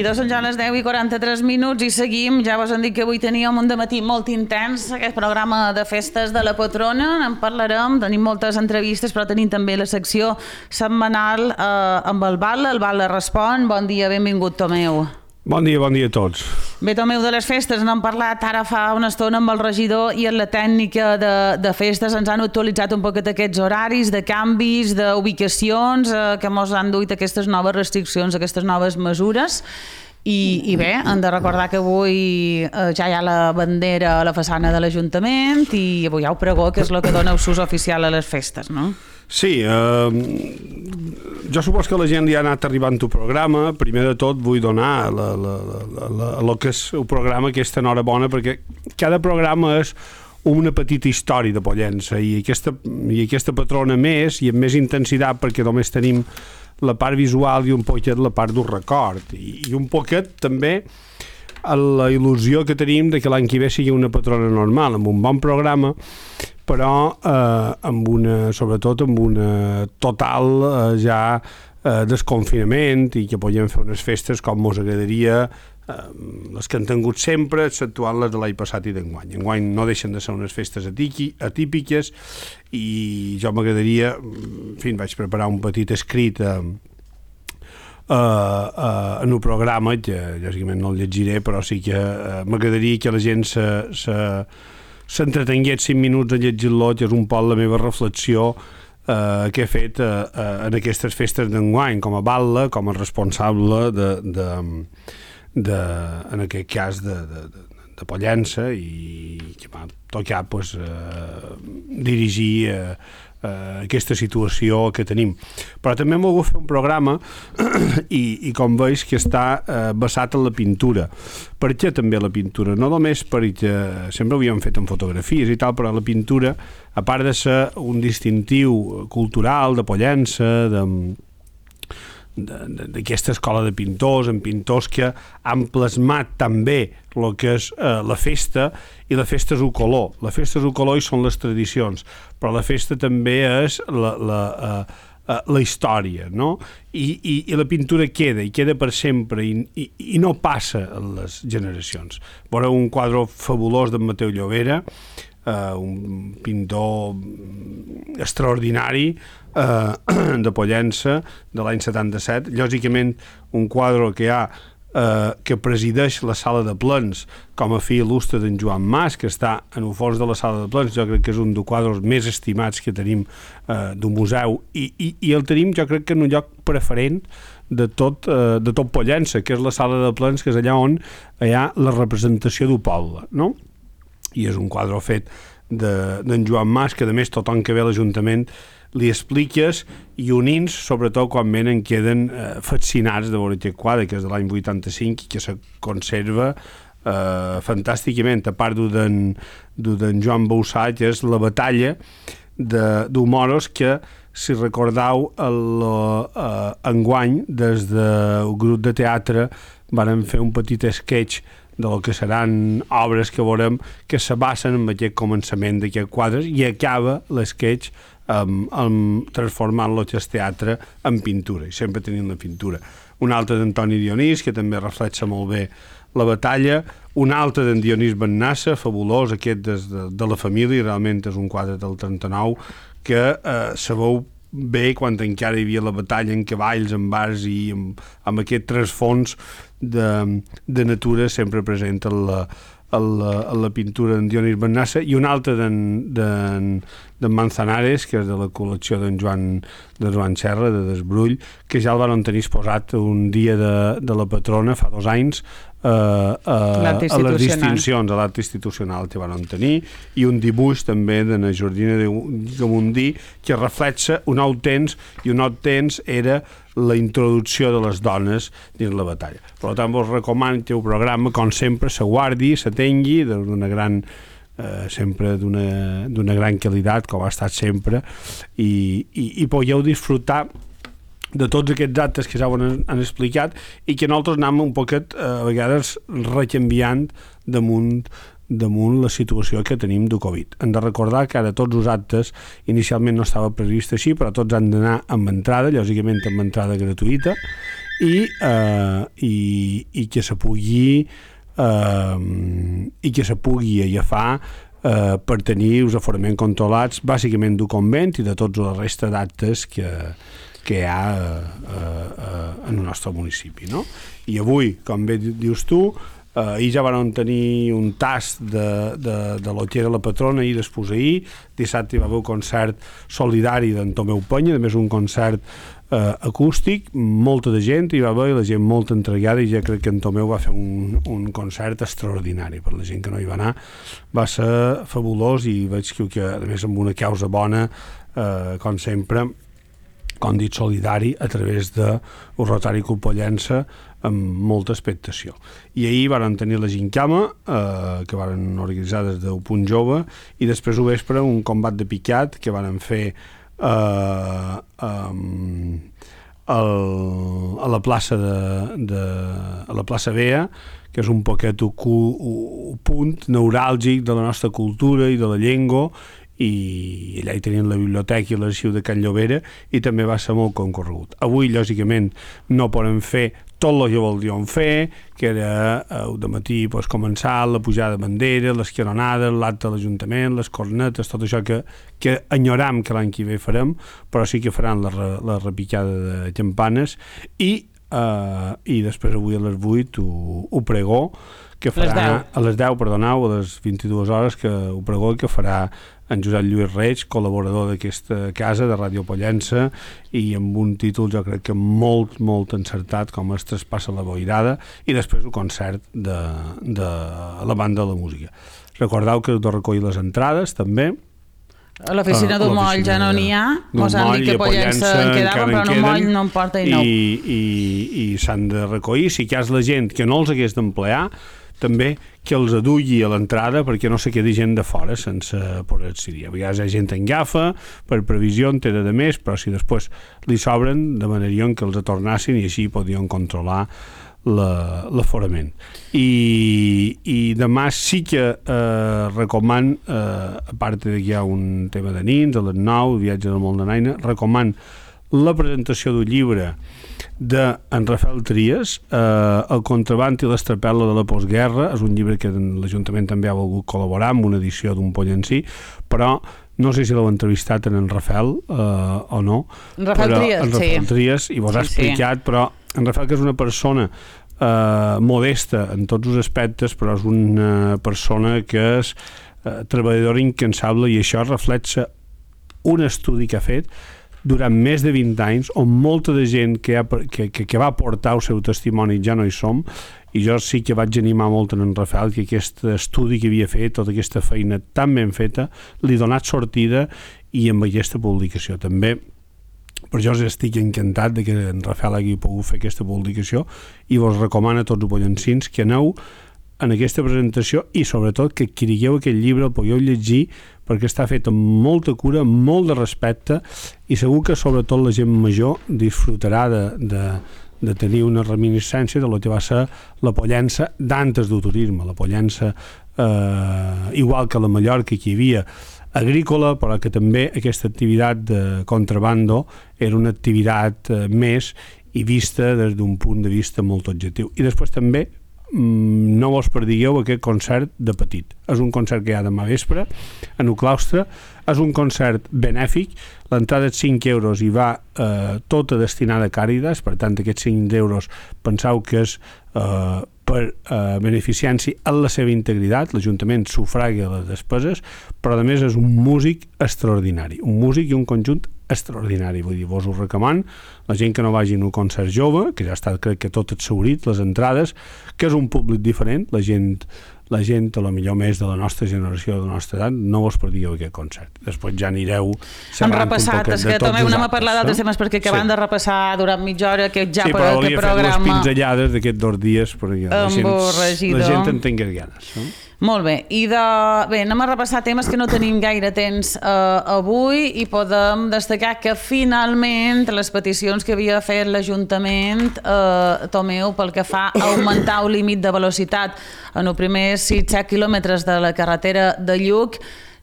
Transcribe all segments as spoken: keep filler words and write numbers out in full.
seguidors, són ja les deu i quaranta-tres minuts i seguim. Ja vos han dit que avui teníem un dematí molt intens, aquest programa de festes de la patrona. En parlarem, tenim moltes entrevistes, però tenim també la secció setmanal eh, amb el Val·la. El Val·la respon. Bon dia, benvingut, Tomeu. Bon dia, bon dia a tots. Bé, Tomeu, de les festes n'hem parlat ara fa una estona amb el regidor i en la tècnica de, de festes ens han actualitzat un poquet aquests horaris, de canvis, d'ubicacions, eh, que mos han duit aquestes noves restriccions, aquestes noves mesures. I, i bé, hem de recordar que avui eh, ja hi ha la bandera a la façana de l'Ajuntament i avui hi ha el pregó, que és el que dona ús oficial a les festes, no? Sí, eh, jo supos que la gent li ha anat arribant el programa. Primer de tot vull donar la, la, la, la, el que és el programa aquesta enhorabona, perquè cada programa és una petita història de Pollença i aquesta, i aquesta patrona més i amb més intensitat, perquè només tenim la part visual i un poquet la part d'un record i, i un poquet també la il·lusió que tenim de que l'any que ve sigui una patrona normal, amb un bon programa, però eh, amb una, sobretot amb una total eh, ja eh, desconfinament i que podem fer unes festes com mos agradaria, eh, les que han tingut sempre, exceptuant les de l'any passat i d'enguany. Enguany no deixen de ser unes festes atípiques i jo m'agradaria, en fi, vaig preparar un petit escrit eh, Uh, uh, en un programa que lògicament no el llegiré, però sí que uh, m'agradaria que la gent se, se, s'entretengués cinc minuts a llegir-lo, que és un poc la meva reflexió uh, que he fet uh, uh, en aquestes festes d'enguany com a Val·la, com a responsable de, de, de, en aquest cas de, de, de, de Pollença i que m'ha tocat pues, uh, dirigir uh, Uh, aquesta situació que tenim. Però també hem volgut fer un programa i, i com veus que està uh, basat en la pintura. Per què també la pintura? No només perquè sempre ho havíem fet en fotografies i tal, però la pintura, a part de ser un distintiu cultural de Pollença, de d'aquesta escola de pintors, en pintors que han plasmat també el que és eh, la festa, i la festa és un color. La festa és un color i són les tradicions, però la festa també és la, la, eh, la història, no? I, i, i la pintura queda, i queda per sempre, i, i, i no passa en les generacions. Veureu un quadre fabulós d'en Mateu Llobera, Uh, un pintor extraordinari uh, de Pollença de l'any setanta-set, lògicament un quadre que hi ha uh, que presideix la sala de plens com a fill il·lustre d'en Joan Mas, que està en el fons de la sala de plens. Jo crec que és un dels quadres més estimats que tenim uh, d'un museu i, i, i el tenim jo crec que en un lloc preferent de tot, uh, de tot Pollença, que és la sala de plens, que és allà on hi ha la representació del poble, no? I és un quadre fet d'en de, Joan Mas, que a més tothom que ve a l'Ajuntament li expliques i unins, sobretot quan venen, queden eh, fascinats de veure aquest quadre, que és de l'any vuitanta-cinc i que se conserva eh, fantàsticament, a part d'en Joan Boussà, que és la batalla d'Humoros, que si recordeu el, eh, enguany des del grup de teatre varen fer un petit sketch del que seran obres que veurem que se basen en aquest començament d'aquest quadre i acaba l'esquetx um, um, transformant-lo que és teatre en pintura, i sempre tenint la pintura. Un altre d'Antoni Dionís, que també reflexa molt bé la batalla, un altre d'en Dionís Bennassa, fabulós, aquest des de, de la família, realment és un quadre del trenta-nou, que eh, sabeu bé quan encara hi havia la batalla en cavalls, en bars i amb, amb aquest trasfons de, de natura sempre present en la, en la, en la pintura d'en Dionís Bennassa, i un altre d'en Manzanares, que és de la col·lecció d'en Joan, de Joan Serra, de Desbrull, que ja el van tenir exposat un dia de, de la patrona fa dos anys Uh, uh, a les distincions, a l'art institucional que van tenir, i un dibuix també de la Jordina de Gamundí que reflexa un nou temps, i un nou temps era la introducció de les dones dins la batalla. Per tant, vos recomano que el programa, com sempre, se guardi, se tengui d'una gran eh, sempre d'una gran qualitat, com ha estat sempre, i, i, i podeu disfrutar de tots aquests actes que ja ho han, han explicat, i que nosaltres anem un poquet eh, a vegades recanviant damunt, damunt la situació que tenim de Covid. Hem de recordar que ara tots els actes inicialment no estava previst així, però tots han d'anar amb entrada, lògicament amb entrada gratuïta, i, eh, i, i que se pugui eh, i que se pugui agafar eh, per tenir els aforaments controlats bàsicament del convent i de tots la resta d'actes que, que hi ha eh, eh, en el nostre municipi, no? I avui, com bé dius tu, eh, ahir ja van tenir un tast de, de, de lo que era la patrona i després ahir, dissabte hi va haver un concert solidari d'en Tomeu Penya, a més un concert eh, acústic, molta de gent hi va haver i la gent molt entregada, i ja crec que en Tomeu va fer un, un concert extraordinari per la gent que no hi va anar, va ser fabulós i veig que, que a més amb una causa bona, eh, com sempre, com dit, solidari a través de el Rotari Colpollença amb molta expectació. I ahir van tenir la gincama eh, que van organitzar des del Punt Jove, i després ho vespre un combat de picat que van fer eh, um, el, a la plaça de, de a la plaça Bea, que és un poquet un punt neuràlgic de la nostra cultura i de la llengua, i allà hi tenien la biblioteca i l'arxiu de Can Llobera, i també va ser molt concorregut. Avui, lògicament, no podem fer tot el que voldríem fer, que era el dematí pues, començar la pujada de bandera, les caronades, l'acte de l'Ajuntament, les cornetes, tot això que, que enyoram que l'any que ve farem, però sí que faran la, la repicada de campanes, i, eh, i després avui a les vuit ho, ho pregó, que farà a les deu, perdoneu, a les vint-i-dues hores, que ho pregó, que farà en Josep Lluís Reig, col·laborador d'aquesta casa de Ràdio Pollença, i amb un títol jo crec que molt, molt encertat, com es traspassa la boirada, i després el concert de, de la banda de la música. Recordeu que heu de recollir les entrades, també. A l'oficina d'un moll ja no n'hi ha, mos han dit que Pollença en quedava, però en un moll no en porta i nou. I, i, i s'han de recollir, si hi ha la gent que no els hagués d'emplear, també que els adulli a l'entrada perquè no se quedi gent de fora sense poder accedir. A vegades hi ha gent en gafa, per previsió en té de més, però si després li sobren, demanarien que els atornassin i així podien controlar l'aforament. I, i demà sí que eh, recoman, eh, a part de que hi ha un tema de nins, a les nou, viatge del món de Naina, recoman la presentació d'un llibre d'en Rafael Trias, eh, El contraband i l'estrapel·la de la postguerra. És un llibre que l'Ajuntament també ha volgut col·laborar amb una edició d'un pollencí, però no sé si l'heu entrevistat en en Rafael eh, o no. Rafael Trias, en Rafael sí. Trias, i vos ha sí, explicat, sí. Però en Rafael, que és una persona eh, modesta en tots els aspectes, però és una persona que és eh, treballadora incansable, i això reflexa un estudi que ha fet durant més de vint anys, on molta de gent que, ha, que, que, que va aportar el seu testimoni ja no hi som, i jo sí que vaig animar molt en en Rafael que aquest estudi que havia fet, tota aquesta feina tan ben feta, li ha donat sortida, i amb aquesta publicació també. Per això estic encantat de que en Rafael hagi pogut fer aquesta publicació, i vos recomano a tots els pollencins que aneu en aquesta presentació, i sobretot que adquirigueu aquest llibre, el podeu llegir, perquè està fet amb molta cura, amb molt de respecte, i segur que sobretot la gent major disfrutarà de, de, de tenir una reminiscència de lo que va ser la Pollença d'antes del turisme, la Pollença eh, igual que la Mallorca, que hi havia agrícola, però que també aquesta activitat de contrabando era una activitat eh, més, i vista des d'un punt de vista molt objectiu. I després també no vos perdigueu aquest concert de petit. És un concert que hi ha demà vespre en el claustre, és un concert benèfic, l'entrada és cinc euros i va eh, tota destinada a Càritas, per tant aquests cinc euros penseu que és eh, per eh, beneficiar-s'hi en la seva integritat, l'Ajuntament sufraga les despeses, però a més és un músic extraordinari, un músic i un conjunt extraordinari, vull dir, vos ho recomano, la gent que no vagi en un concert jove, que ja està, crec que tot exhaurit, les entrades, que és un públic diferent, la gent, la gent a lo millor més de la nostra generació, de la nostra edat, no vos perdigueu aquest concert. Després ja anireu hem repassat, és que també no m'ha parlat d'altres temes, perquè acabem de repassar durant mitja hora aquest ja sí, per aquest programa. Sí, però hauria fet les pinzellades d'aquests dos dies perquè la gent, la gent en tingués ganes. No? Molt bé, i de... bé, anem a repassar temes que no tenim gaire temps eh, avui, i podem destacar que finalment les peticions que havia fet l'Ajuntament, eh, Tomeu, pel que fa a augmentar el límit de velocitat en els primers sis set quilòmetres de la carretera de Lluc,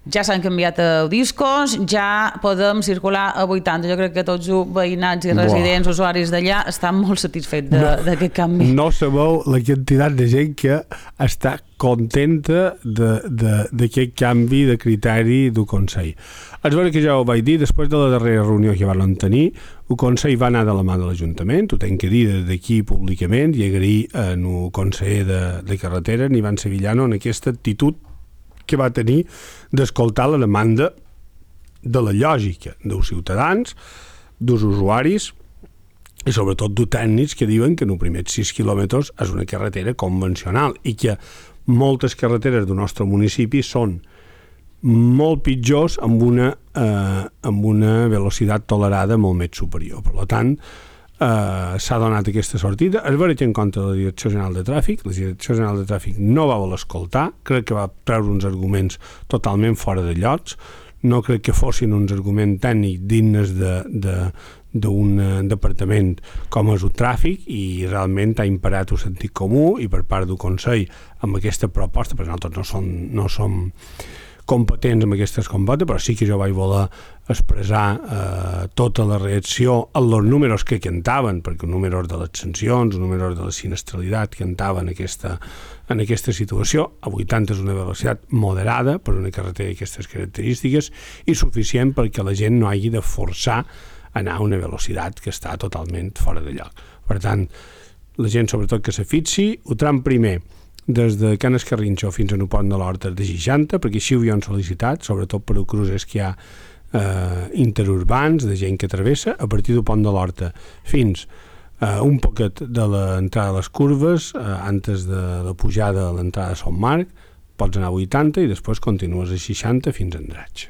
ja s'han canviat a discos, ja podem circular a vuitanta. Jo crec que tots els veïnats i residents, Buah. usuaris d'allà, estan molt satisfets d'aquest canvi. No sabeu la quantitat de gent que està contenta d'aquest canvi de criteri del Consell. És vera que ja ho vaig dir, després de la darrera reunió que van tenir, el Consell va anar de la mà de l'Ajuntament, ho tenc que dir des d'aquí públicament, i agrair en el conseller de, de carretera, en Ivan Sevillano, en aquesta actitud que va tenir d'escoltar la demanda de la lògica dels ciutadans, dels usuaris i sobretot dels tècnics que diuen que en els primers sis quilòmetres és una carretera convencional i que moltes carreteres del nostre municipi són molt pitjors amb una, eh, amb una velocitat tolerada molt més superior. Per tant, eh, s'ha donat aquesta sortida. Es va tenir en compte la Direcció General de Tràfic. La Direcció General de Tràfic no va voler escoltar. Crec que va treure uns arguments totalment fora de llocs. No crec que fossin uns arguments tècnics dignes de, de, d'un departament com és el tràfic, i realment ha imparat el sentit comú, i per part del Consell amb aquesta proposta, perquè nosaltres no som, no som competents amb aquestes compotes, però sí que jo vaig voler expressar eh, tota la reacció en els números que cantaven, perquè els números de les sancions, els números de la sinistralitat cantaven aquesta, en aquesta situació. A vuitanta és una velocitat moderada per una carretera d'aquestes característiques i suficient perquè la gent no hagi de forçar anar a una velocitat que està totalment fora de lloc. Per tant, la gent sobretot que se fixi, el tram primer des de Can Escarrinxo fins a el Pont de l'Horta de seixanta, perquè així ho havien sol·licitat, sobretot per els cruces que hi ha eh, interurbans, de gent que travessa, a partir del Pont de l'Horta fins eh, un poquet de l'entrada de les curves, eh, antes de la pujada a l'entrada de Sant Marc, pots anar a vuitanta i després continues a seixanta fins a Andratx.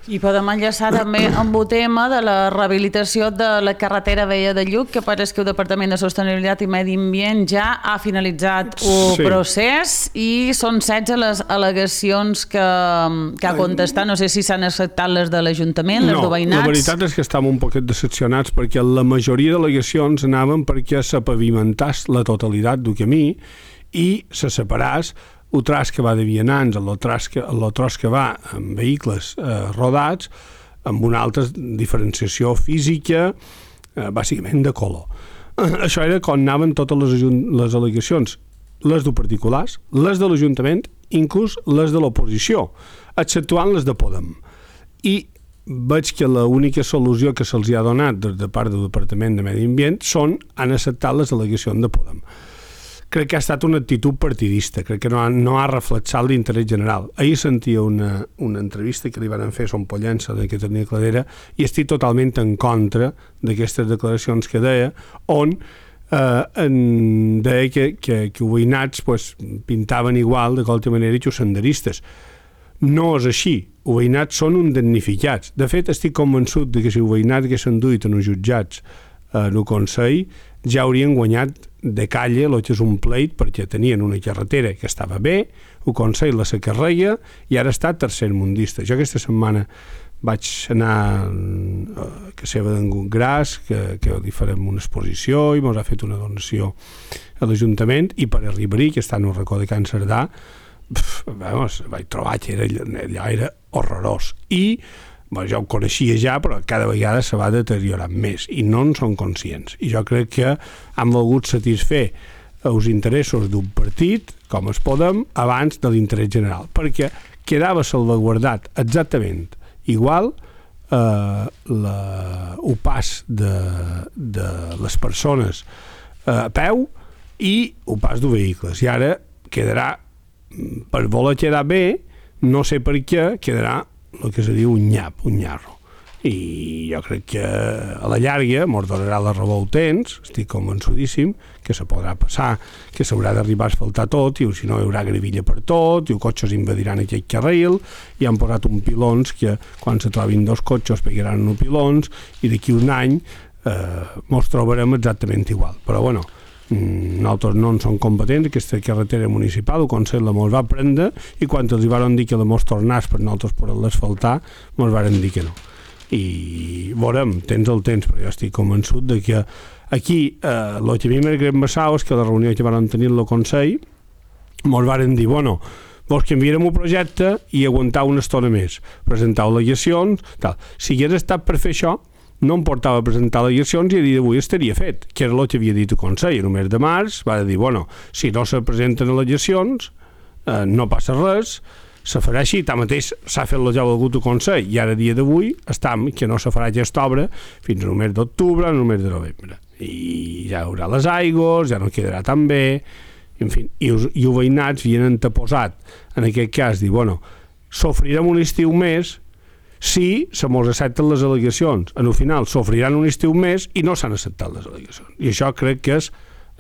I podem enllaçar també amb el tema de la rehabilitació de la carretera vella de Lluc, que pareix que el Departament de Sostenibilitat i Medi Ambient ja ha finalitzat el sí. procés, i són setze les al·legacions que, que ha contestat. No sé si s'han acceptat les de l'Ajuntament, les no, de veïnats. La veritat és que estàvem un poquet decepcionats perquè la majoria d'al·legacions anaven perquè s'apavimentàs la totalitat del camí i se separàs el tros que va de vianants, el tros que, el tros que va amb vehicles eh, rodats, amb una altra diferenciació física, eh, bàsicament de color. Eh, això era com anaven totes les, les al·legacions, les de particulars, les de l'Ajuntament, inclús les de l'oposició, exceptuant les de Podem. I veig que l'única solució que se'ls ha donat des de part del Departament de Medi Ambient són han acceptat les al·legacions de Podem. Crec que ha estat una actitud partidista, crec que no ha, no ha reflexat l'interès general. Ahir sentia una, una entrevista que li van fer a Son Pollença, que tenia Cladera, i estic totalment en contra d'aquestes declaracions que deia, on eh, en deia que, que, que els veïnats pues, pintaven igual de qualsevol manera que els senderistes. No és així. Els veïnats són un damnificats. De fet, estic convençut de que si els veïnats que s'han duit en els jutjats en el Consell ja haurien guanyat de calle el que és un pleit, perquè tenien una carretera que estava bé, el Consell la s'acarreia i ara està tercermundista. Jo aquesta setmana vaig anar a casa d'en Gras, que, que li farem una exposició i ens ha fet una donació a l'Ajuntament, i per arribar-hi, que està en un racó de Can Cerdà, pf, vamos, vaig trobar que era, allò era horrorós. I bueno, jo ho coneixia ja, però cada vegada se va deteriorant més i no en són conscients. I jo crec que han volgut satisfer els interessos d'un partit, com es Podem, abans de l'interès general, perquè quedava salvaguardat exactament igual eh, la, el pas de, de les persones eh, a peu i el pas de vehicles. I ara quedarà, per voler quedar bé, no sé per què, quedarà el que se diu un nyap, un nyarro. I jo crec que a la llarga mos donarà la raó al temps, estic convençudíssim, que se podrà passar, que s'haurà d'arribar a asfaltar tot, i si no hi haurà grevilla per tot, i els cotxes invadiran aquell carril, i han posat un pilons que quan se trobin dos cotxes pegaran un pilons, i d'aquí un any eh, mos trobarem exactament igual. Però bueno, nosaltres no en som competents, aquesta carretera municipal, el Consell la mos va prendre, i quan els van dir que la mos tornàs per nosaltres per l'asfaltar, mos van dir que no. I veurem, tens el temps, però jo estic convençut de que aquí, eh, el que a mi m'ha greu és que la reunió que van tenir el Consell mos van dir, bueno, vos canviarem un projecte i aguantar una estona més, presentar al·legacions, tal. Si hagués estat per fer això, no em portava a presentar al·legacions i a dia d'avui estaria fet, que era el que havia dit el Consell. En el mes de març va dir, bueno, si no se presenten al·legacions, eh, no passa res, se farà així, tanmateix s'ha fet la ja del Consell i ara a dia d'avui estem que no se farà aquesta obra fins al mes d'octubre, al mes de novembre. I ja hi haurà les aigües, ja no quedarà tan bé, en fi, i, us, i els veïnats havien anteposat, en aquest cas, dir, bueno, sofrirem un estiu més si se mos accepten les al·legacions. En el final, sofriran un estiu més i no s'han acceptat les al·legacions. I això crec que és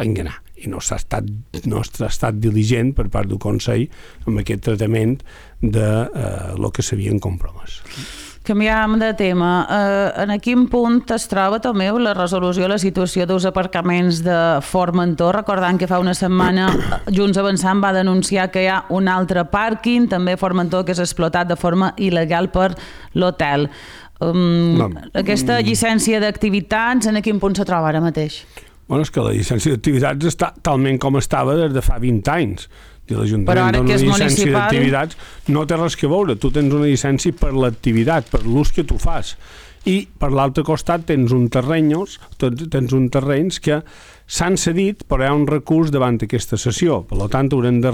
enganar. I no s'ha estat, no s'ha estat diligent per part del Consell amb aquest tractament de eh, lo que s'havien compromès. Canviam de tema. Eh, en quin punt es troba també la resolució de la situació dels aparcaments de Formentor? Recordant que fa una setmana Junts Avançant va denunciar que hi ha un altre pàrquing, també a Formentor, que és explotat de forma il·legal per l'hotel. Um, no. Aquesta llicència d'activitats, en quin punt se troba ara mateix? Bueno, és que la llicència d'activitats està talment com estava des de fa vint anys. L'Ajuntament dona una llicència d'activitats, no té res que veure. Tu tens una llicència per l'activitat, per l'ús que tu fas. I per l'altre costat tens un terrenyos, tens un terrenys que s'han cedit, però hi ha un recurs davant aquesta sessió. Per tant, haurem de,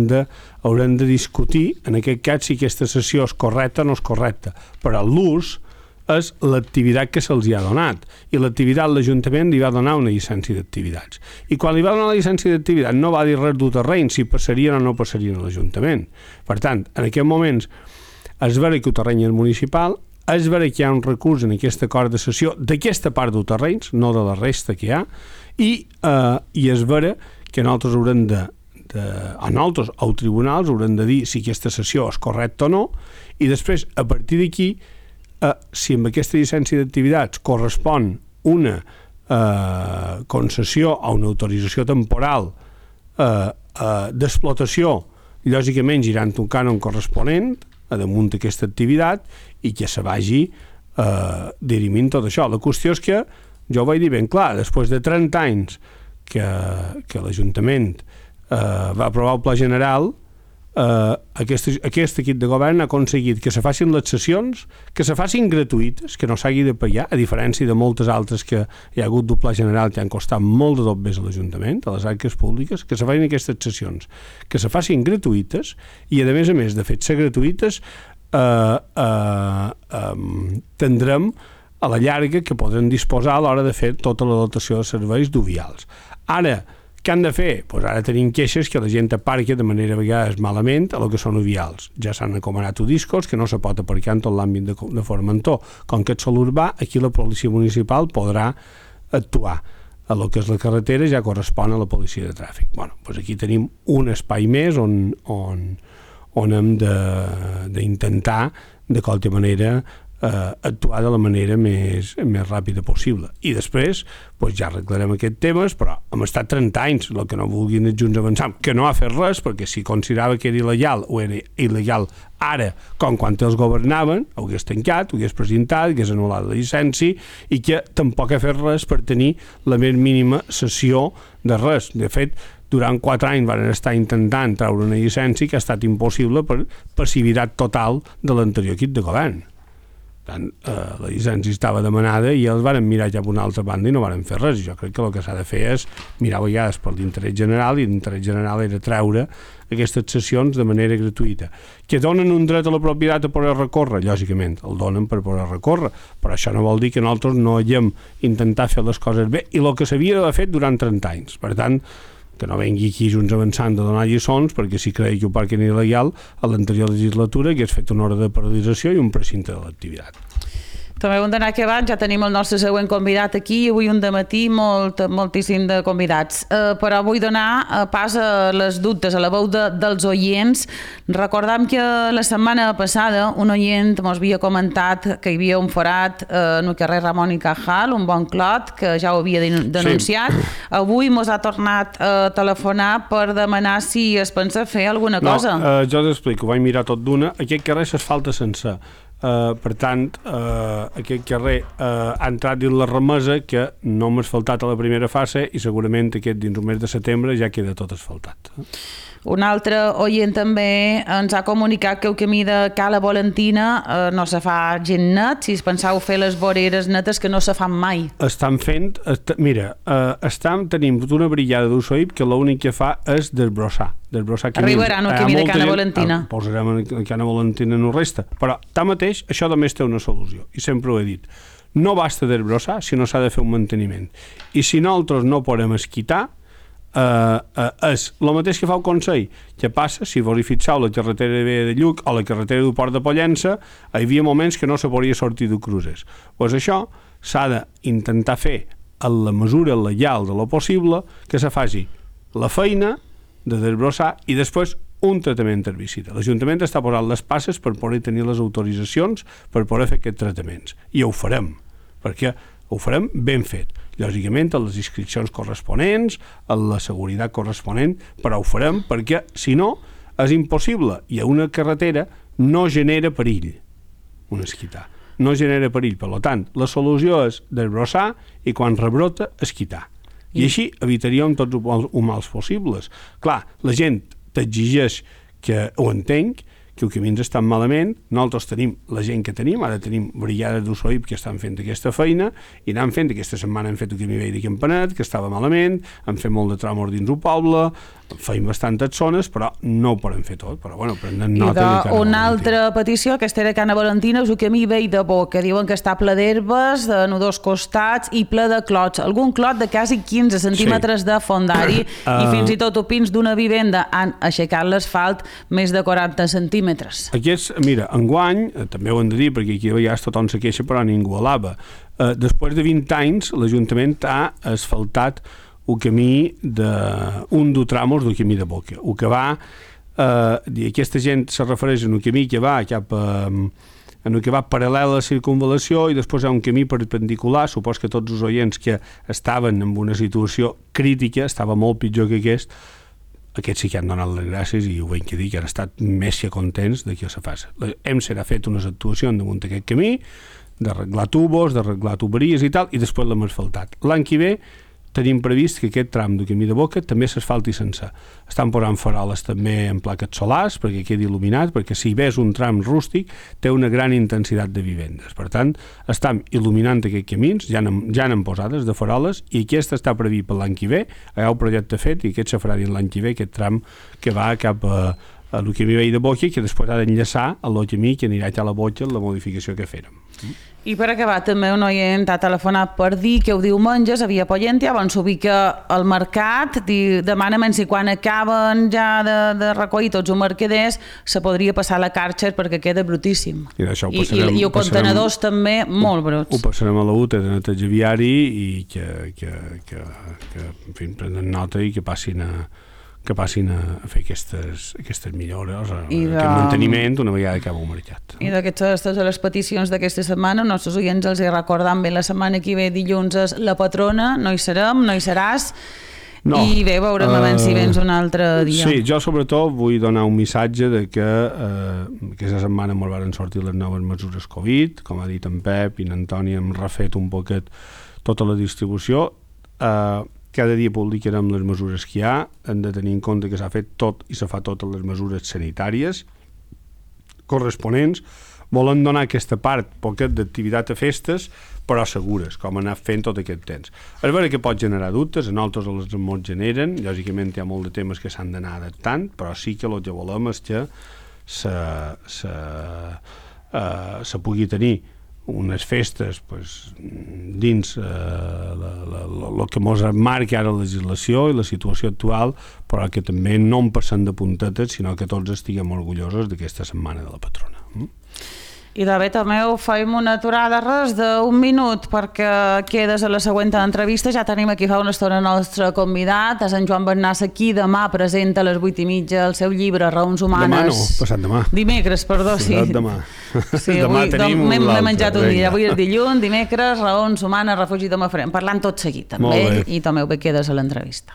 de, haurem de discutir, en aquest cas, si aquesta sessió és correcta o no és correcta. Però l'ús és l'activitat que se'ls ha donat. I l'activitat, l'Ajuntament li va donar una llicència d'activitats. I quan li va donar la llicència d'activitat no va dir res del terreny, si passarien o no passarien a l'Ajuntament. Per tant, en aquests moments és vera que el terreny és municipal, és vera que hi ha un recurs en aquest acord de cessió d'aquesta part del terreny, no de la resta que hi ha, i, eh, i és vera que nosaltres haurem de, de a nosaltres, als tribunals, haurem de dir si aquesta cessió és correcta o no, i després, a partir d'aquí, Uh, si amb aquesta llicència d'activitats correspon una uh, concessió o una autorització temporal uh, uh, d'explotació, lògicament girant un cànon corresponent a damunt d'aquesta activitat i que se vagi uh, dirimint tot això. La qüestió és que, jo ho vaig dir ben clar, després de trenta anys que, que l'Ajuntament uh, va aprovar el Pla General, Uh, aquest, aquest equip de govern ha aconseguit que se facin les sessions, que se facin gratuïtes, que no s'hagi de pagar, a diferència de moltes altres que hi ha hagut del Pla General que han costat molt de dobbers a l'Ajuntament, a les arques públiques, que se facin aquestes sessions, que se facin gratuïtes i, a més a més de fer-se gratuïtes, uh, uh, um, tindrem a la llarga que podrem disposar a l'hora de fer tota la dotació de serveis d'uvials. Ara, què han de fer? Pues ara tenim queixes que la gent aparca de manera a vegades malament a lo que són uvials. Ja s'han encomanat discos que no se pot aparcar en tot l'àmbit de, de Formentor. Com que és sol urbà, aquí la policia municipal podrà actuar. A lo que és la carretera ja correspon a la policia de tràfic. Bueno, pues aquí tenim un espai més on, on, on hem d'intentar de, de qualque manera Uh, actuar de la manera més, més ràpida possible. I després pues, ja arreglarem aquests temes, però hem estat trenta anys, el que no vulguin els Junts Avançant, que no ha fet res, perquè si considerava que era il·legal o era il·legal ara, com quan els governaven, ho hagués tancat, ho hagués presentat, hagués anul·lat la llicència, i que tampoc ha fet res per tenir la més mínima sessió de res. De fet, durant quatre anys van estar intentant treure una llicència que ha estat impossible per passivitat total de l'anterior equip de govern. Tant, eh, la llicència estava demanada i els varen mirar ja per una altra banda i no varen fer res. Jo crec que el que s'ha de fer és mirar a vegades per l'interès general, i l'interès general era treure aquestes sessions de manera gratuïta. Que donen un dret a la propietat a poder recórrer, lògicament, el donen per poder recórrer, però això no vol dir que nosaltres no haguem intentat fer les coses bé, i el que s'havia d'haver fet durant trenta anys. Per tant, que no vengui aquí Junts Avançant de donar lliçons, perquè si creia que ho parc era il·legal, a l'anterior legislatura hagués fet una hora de paralització i un precinte de l'activitat. També hem d'anar acabant, ja tenim el nostre següent convidat aquí, avui un dematí molt, moltíssim de convidats. Eh, però vull donar eh, pas a les dubtes, a la veu de, dels oients. Recordam que la setmana passada un oient ens havia comentat que hi havia un forat eh, en el carrer Ramon i Cajal, un bon clot, que ja ho havia denunciat. Sí. Avui mos ha tornat a telefonar per demanar si es pensa fer alguna cosa. No, eh, jo t'explico, vaig mirar tot d'una. Aquest carrer s'asfalta sencer. Uh, per tant, uh, aquest carrer uh, ha entrat dins la remesa, que no hem asfaltat a la primera fase, i segurament aquest dins el mes de setembre ja queda tot asfaltat. Un altre oient també ens ha comunicat que el camí de Cala Valentina eh, no se fa gent net, si es penseu fer les voreres netes que no se fan mai. Estan fent, est mira, eh, estam, tenim una brigada d'Ussoïp que l'únic que fa és desbrossar. desbrossar Arribaran al camí de Cala Valentina. Eh, posarem a Cala Valentina no resta. Però, tanmateix, això només té una solució, i sempre ho he dit. No basta desbrossar, sinó s'ha de fer un manteniment. I si nosaltres no podem esquitar, Uh, uh, és el mateix que fa el Consell. Què passa? Si vos hi fixeu la carretera de Lluc o la carretera del Port de Pollença, hi havia moments que no se podia sortir de cruces. Pues això s'ha d'intentar fer a la mesura legal de lo possible, que se faci la feina de desbrossar i després un tractament herbicida. L'Ajuntament està posant les passes per poder tenir les autoritzacions per poder fer aquests tractaments. I ho farem, perquè ho farem ben fet. Lògicament, a les inscripcions corresponents, a la seguretat corresponent, però ho farem perquè, si no, és impossible. I a una carretera no genera perill un esquitar. No genera perill. Per tant, la solució és desbrossar i quan rebrota, esquitar. I així evitaríem tots els mals possibles. Clar, la gent t'exigeix que ho entenc, que els camins estan malament, nosaltres tenim la gent que tenim, ara tenim brigades d'Ussoïp que estan fent aquesta feina, i anem fent, aquesta setmana hem fet el camí vell de Campanet, que estava malament, hem fet molt de tràmors dins el poble, feim bastantes zones, però no ho podem fer tot, però bueno, prenen nota de Cana una altra petició, aquesta era Cana Valentina, és el camí vell de Boca, diuen que està ple d'herbes, de dos costats i ple de clots, algun clot de quasi quinze centímetres sí. de fondari, uh... i fins i tot opins d'una vivenda han aixecat l'asfalt més de quaranta centímetres. Aquests, mira, enguany, també ho hem de dir, perquè aquí a vegades tothom se queixa però ningú alaba, uh, després de vint anys l'Ajuntament ha asfaltat el camí d'un de tramos del camí de Boca. El que va, eh, aquesta gent se refereix a un camí que va cap a, en el que va paral·lel a la circunvalació i després hi ha un camí perpendicular, supos que tots els oients que estaven en una situació crítica, estava molt pitjor que aquest, aquests sí que han donat les gràcies i ho hem que dir, que han estat més que contents de que se faci. Hem serà fet unes actuacions damunt d'aquest camí, d'arreglar tubos, d'arreglar tuberies i tal, i després l'hem asfaltat. L'any que ve tenim previst que aquest tram del camí de Boca també s'asfalti sencer. Estan posant faroles també en plaques solars perquè quedi il·luminat, perquè si ves un tram rústic té una gran intensitat de vivendes. Per tant, estem il·luminant aquests camins, ja n'hem ja posades de faroles, i aquest està previst per l'any que ve, hi ha un projecte fet i aquest se farà dins l'any que ve, aquest tram que va cap a, a el camí vell de Boca, que després ha d'enllaçar a el camí que anirà a la Boca, la modificació que fèrem. I per acabar, també un oient ha telefonat per dir que el diumenges havia Pollentia, on s'ubica al mercat, demana-me'n si quan acaben ja de, de recollir tots els mercaders se podria passar a la Karcher perquè queda brutíssim. I, I, i, i els contenedors també molt bruts. Ho passarem a la U T de neteja viari i que, que, que, que en fi, prenen nota i que passin a que passin a fer aquestes, aquestes millores, I de... aquest manteniment una vegada acaba el mercat. I d'aquestes de les peticions d'aquesta setmana, els nostres oients els hi recordam bé, la setmana que ve dilluns és la patrona, no hi serem, no hi seràs, no. I bé, veurem uh, si vens un altre dia. Sí, jo sobretot vull donar un missatge de que uh, aquesta setmana ens van sortir les noves mesures Covid, com ha dit en Pep i en Antoni hem refet un poquet tota la distribució. Uh, cada dia publicarem les mesures que hi ha, hem de tenir en compte que s'ha fet tot i se fa totes les mesures sanitàries corresponents. Volem donar aquesta part poquet d'activitat a festes, però segures, com anar fent tot aquest temps. És vera que pot generar dubtes, a nosaltres els molts generen, lògicament hi ha molt de temes que s'han d'anar adaptant, però sí que el que volem és que se, se, uh, se pugui tenir unes festes pues, dins el que ens marca ara la legislació i la situació actual, però que també no en passem de puntetes, sinó que tots estiguem orgullosos d'aquesta setmana de la patrona. Mm? I de bé, també ho faim una aturada res d'un minut perquè quedes a la següent entrevista. Ja tenim aquí fa una estona el nostre convidat, a Sant Joan Bernassa, qui demà presenta a les vuit i mitja el seu llibre Raons Humanes. Demà no, passat demà. Dimecres, perdó, sí. Passat demà. Sí, demà avui, tenim l'altre. M'he menjat un dia. Avui és dilluns, dimecres, Raons Humanes, refugi de Mafrem. Parlant tot seguit, també, i també ho bé quedes a l'entrevista.